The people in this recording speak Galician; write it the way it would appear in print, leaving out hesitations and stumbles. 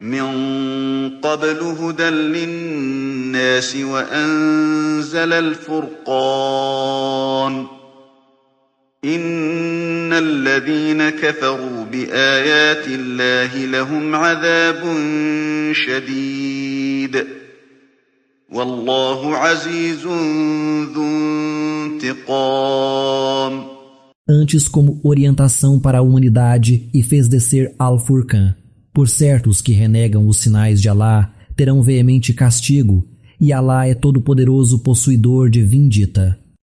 من قبل هدى للناس وأنزل الفرقان إن الذين كفروا بآيات الله لهم عذاب شديد والله عزيز ذو انتقام. Antes como orientação para a humanidade e fez descer Al-Furqan. Por certo, os que renegam os sinais de Alá terão veemente castigo, e Alá é todo-poderoso possuidor de vindita.